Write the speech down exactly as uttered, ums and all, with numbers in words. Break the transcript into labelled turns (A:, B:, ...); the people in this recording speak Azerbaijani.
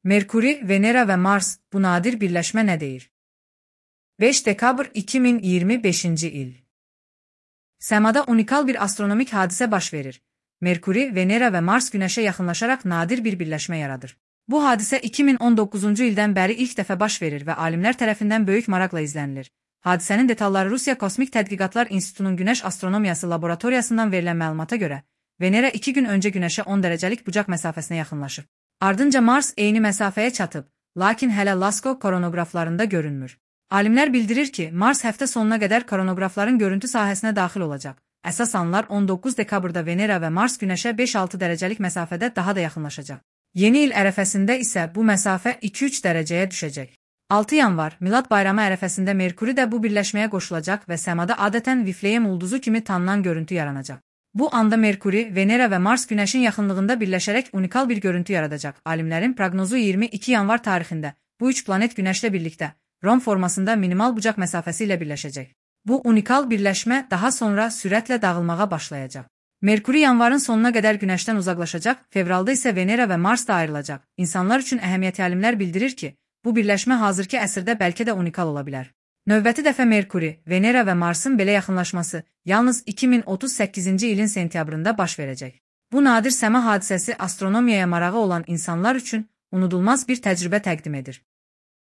A: Merkuri, Venera və Mars, bu nadir birləşmə nə deyir? beş dekabr iki min iyirmi beşinci il. Səmada unikal bir astronomik hadisə baş verir. Merkuri, Venera və Mars Günəşə yaxınlaşaraq nadir bir birləşmə yaradır. Bu hadisə iki min on doqquzuncu ildən bəri ilk dəfə baş verir və alimlər tərəfindən böyük maraqla izlənilir. Hadisənin detalları Rusiya Kosmik Tədqiqatlar İnstitutunun Günəş Astronomiyası laboratoriyasından verilən məlumata görə, Venera iki gün öncə Günəşə on dərəcəlik bucaq məsafəsinə yaxınlaşıb. Ardınca Mars eyni məsafəyə çatıb, lakin hələ LASCO koronoqraflarında görünmür. Alimlər bildirir ki, Mars həftə sonuna qədər koronoqrafların görüntü sahəsinə daxil olacaq. Əsas anlar on doqquz dekabrda Venera və Mars Günəşə beş altı dərəcəlik məsafədə daha da yaxınlaşacaq. Yeni il ərəfəsində isə bu məsafə iki üç dərəcəyə düşəcək. altı yanvar, Milad bayramı ərəfəsində Merkuri də bu birləşməyə qoşulacaq və səmada adətən Vifleyem ulduzu kimi tanınan görüntü yaranacaq. Bu anda Merkuri, Venera və Mars Günəşin yaxınlığında birləşərək unikal bir görüntü yaradacaq. Alimlərin proqnozu iyirmi iki yanvar tarixində bu üç planet Günəşlə birlikdə rom formasında minimal bucaq məsafəsi ilə birləşəcək. Bu unikal birləşmə daha sonra sürətlə dağılmağa başlayacaq. Merkuri yanvarın sonuna qədər Günəşdən uzaqlaşacaq, fevralda isə Venera və Mars da ayrılacaq. İnsanlar üçün əhəmiyyətli alimlər bildirir ki, bu birləşmə hazırki əsrdə bəlkə də unikal ola bilər. Növbəti dəfə Merkuri, Venera və Marsın belə yaxınlaşması yalnız iki min otuz səkkizinci ilin sentyabrında baş verəcək. Bu nadir səma hadisəsi astronomiyaya marağı olan insanlar üçün unudulmaz bir təcrübə təqdim edir.